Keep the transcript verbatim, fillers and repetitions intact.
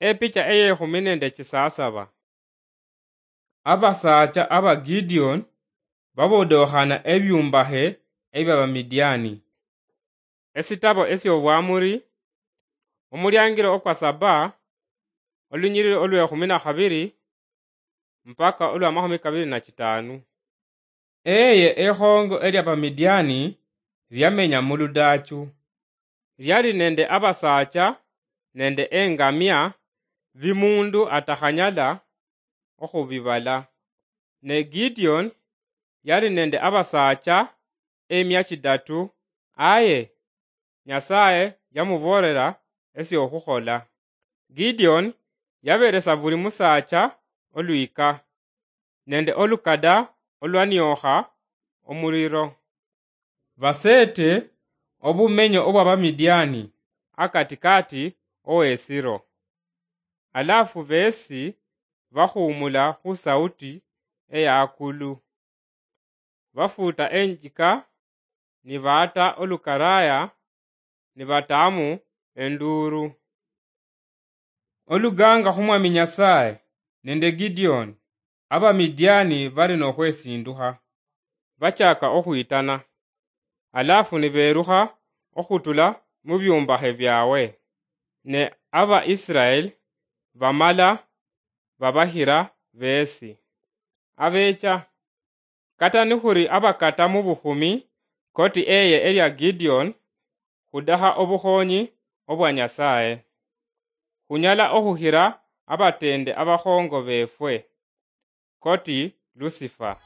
Epicha eyekhumi nende chisasaba. Abasaacha aba Gideon babodookhana ebyuumbahe eby'Abamidiani. Esitabo esy'Obwamuri, omulyaangiro okwa saba, olunyiriri olw'ekhumi na khabiri mpaka olw'amakhumi kabiri na chitaanu. Eye ekhoongo ery'Abamidiani lyamenya mu ludaachu. Lyali nende abasaacha nende engamia bi muundu atakhanyala okhubibala. Ne Gideon yali nende abasaacha emia chidatu, aye Nyasaye yamuboolera esy'okhukhola. Gideon yaberesa buli musaacha olwika, nende olukada olwaniokha omuliro. Baseete obumenyo obw'Abamidiani akatikaati ow'esiro. Alafu beesi bahuumula khu sauti ey'akulu. Bafuuta enjika, nibaata olukaraaya, nibataamu enduuru. Oluganga khu Mwami Nyasaye nende Gideon, Abamidiani bali n'okhwesindukha, bachaka okhwitana, alafu niberukha okhutula mu byuumbahe byawe, ne Abaisiraeli bamala babahira beesi. Abeecha, kata nikhuli abakata mu bukhumi koti eye elya Gideon, khudaha obukhonyi obwa Nyasaye. Khunyala okhuhira abateende abakhongo beefwe, koti Lusifa.